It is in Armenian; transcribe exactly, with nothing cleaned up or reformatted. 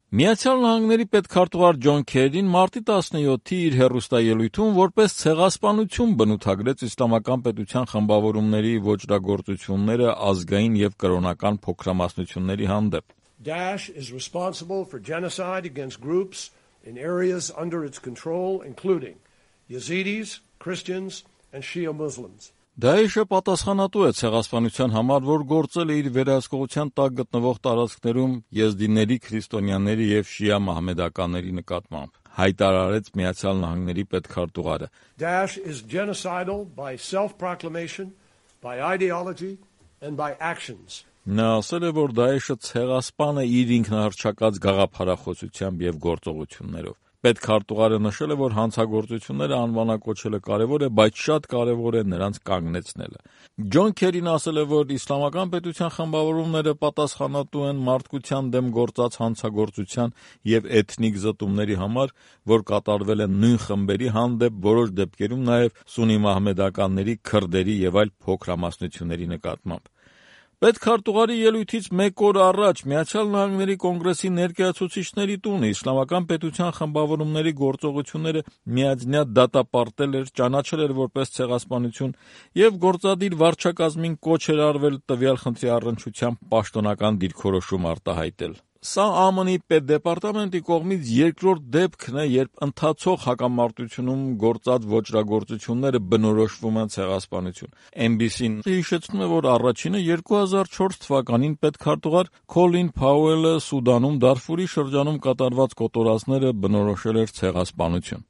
Միացյալ Նահանգների պետքարտուղար Ջոն Քերին մարտի տասնյոթի իր հեռուստաելույթում որպես ցեղասպանություն բնութագրեց իսլամական պետության խմբավորումների ոճրագործությունները ազգային եւ կրոնական փոքրամասնությունների հանդեպ. Daesh is responsible for genocide against groups in areas under its control, including Yazidis, Christians, and Shia Muslims. Դաեշը պատասխանատու է ցեղասպանության համար, որ գործել է իր վերահսկողության տակ գտնվող տարածքներում եզդիների, քրիստոնյաների եւ շիա մահմեդականների նկատմամբ, հայտարարեց Միացյալ Նահանգների պետքարտուղարը. Daesh is genocidal by self-proclamation, by ideology, and by actions. Նա ասել է, որ Դաեշը ցեղասպան է իր ինքնահռչակած գաղափարախոսությամբ եւ գործողություններով։ Պետքարտուղարը նշել է, որ հանցագործությունները անվանակոչելը կարևոր է, բայց շատ կարևոր է նրանց կանգնեցնելը։ Ջոն Քերին ասել է, որ իսլամական պետության խմբավորումները պատասխանատու են մարդկության դեմ գործած հանցագործության եւ էթնիկ զտումների համար, որ կատարվել են նույն խմբերի հանդեպ, որոշ դեպքերում նաեւ սուննի մահմեդականների, քրդերի եւ այլ փոքրամասնությունների նկատմամբ։ Պետքարտուղարի ելույթից մեկ օր առաջ Միացյալ Նահանգների կոնգրեսի ներկայացուցիչների տունը իսլամական պետության խմբավորումների գործողությունները միաձնյա դատապարտել էր, ճանաչել էր որպես ցեղասպանություն եւ գործադիր վարչակազմին կոչ էր արվել տվյալ խնդրի առնչությամբ պաշտոնական դիրքորոշում արտահայտել։ Սա ԱՄՆ-ի պետդեպարտամենտի կողմից երկրորդ դեպքն է, երբ ընթացող հակամարտությունում գործած ոճրագործությունները բնորոշվում են ցեղասպանություն։ Էն բի սին հիշեցնում է, որ առաջինը երկու հազար չորս թվականին պետքարտուղար Քոլին Փաուելը Սուդանում Դարֆուրի շրջանում կատարված կոտորածները բնորոշել էր ցեղասպանություն։